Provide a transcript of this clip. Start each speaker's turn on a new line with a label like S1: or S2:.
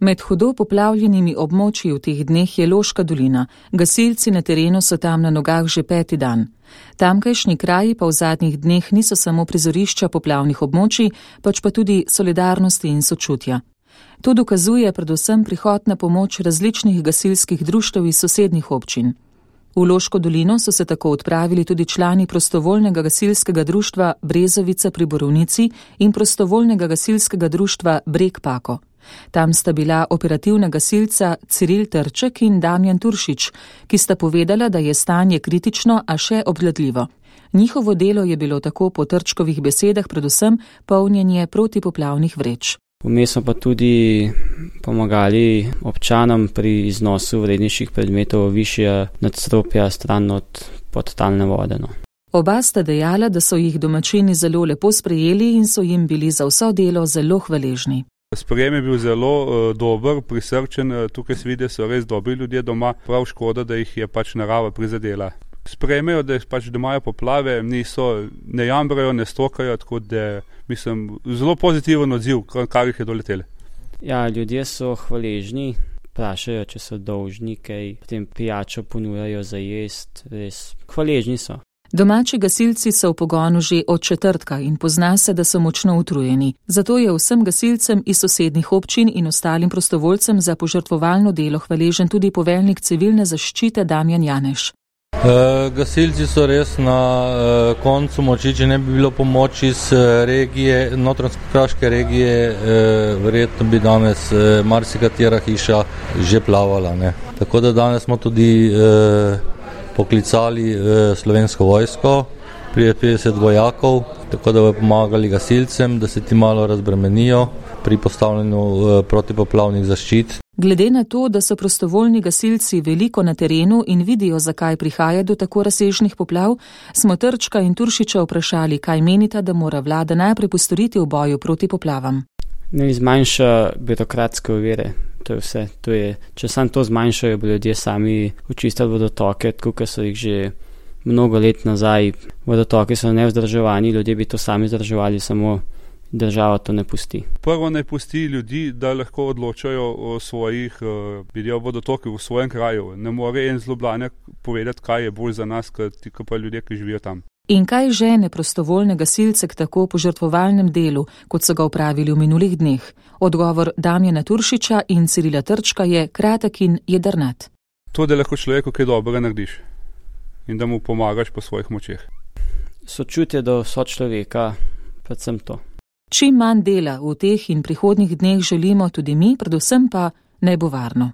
S1: Med hudo poplavljenimi območji v teh dneh je Loška dolina. Gasilci na terenu so tam na nogah že 5. dan. Tamkajšnji kraji pa v zadnjih dneh niso samo prizorišča poplavnih območij, pač pa tudi solidarnosti in sočutja. To dokazuje predvsem prihod na pomoč različnih gasilskih društev iz sosednjih občin. V Loško dolino so se tako odpravili tudi člani prostovoljnega gasilskega društva Brezovica pri Borovnici in prostovoljnega gasilskega društva Breg Pako. Tam sta bila operativna gasilca Ciril Trček in Damjan Turšič, ki sta povedala, da je stanje kritično, a še obvladljivo. Njihovo delo je bilo tako po Trčkovih besedah predvsem polnjenje protipoplavnih vreč.
S2: Vmes smo pa tudi pomagali občanom pri iznosu vrednejših predmetov višje nadstropja stran od podtalne vode.
S1: Oba sta dejala, da so jih domačini zelo lepo sprejeli in so jim bili za vso delo zelo hvaležni.
S3: Sprejem je bil zelo dober, prisrčen, tukaj se vidi, so res dobri ljudje doma, prav škoda, da jih je narava prizadela. Sprejmejo, da imajo poplave, ne jambrajo, ne stokajo, tako da mislim, zelo pozitiven odziv, kar jih je doletelo.
S2: Ja, ljudje so hvaležni, vprašajo, če so dolžni, kaj potem pijačo ponujajo za jest, res hvaležni so.
S1: Domači gasilci so v pogonu že od četrtka in pozna se, da so močno utrujeni. Zato je vsem gasilcem iz sosednjih občin in ostalim prostovoljcem za požrtvovalno delo hvaležen tudi poveljnik civilne zaščite Damjan Janeš.
S4: Gasilci so res na koncu moči, če ne bi bilo pomoči iz regije, notranjsko-kraške regije, verjetno bi danes marsikatera hiša že plavala. Ne? Tako da danes smo tudi poklicali slovensko vojsko, 50 vojakov, tako da bodo pomagali gasilcem, da se ti malo razbremenijo pri postavljanju protipoplavnih zaščit.
S1: Glede na to, da so prostovoljni gasilci veliko na terenu in vidijo, zakaj prihaja do tako razsežnih poplav, smo Trčka in Turšiča vprašali, kaj menita, da mora vlada najprej postoriti v boju proti poplavam.
S2: Ne zmanjša birokratske ovire, to je vse. Če samo to zmanjšajo, bo ljudje sami očistili vodotoke, tako so jih že mnogo let nazaj. Vodotoki so nevzdrževani, ljudje bi to sami vzdrževali, samo država to ne pusti.
S3: Prvo ne pusti ljudi, da lahko odločajo o svojih vodotokih v svojem kraju. Ne more en z Ljubljane povedati, kaj je bolj za nas, kot pa ljudje, ki živijo tam.
S1: In kaj žene prostovoljne gasilce k tako požrtvovalnem delu, kot so ga opravili v minulih dneh? Odgovor Damjana Turšiča in Cirila Trčka je kratek in jedrnat.
S3: To, da lahko človeku kaj dobrega narediš in da mu pomagaš po svojih močeh.
S2: Sočutje do sočloveka, predvsem to.
S1: Čim manj dela v teh in prihodnjih dneh želimo tudi mi, predvsem pa naj bo varno.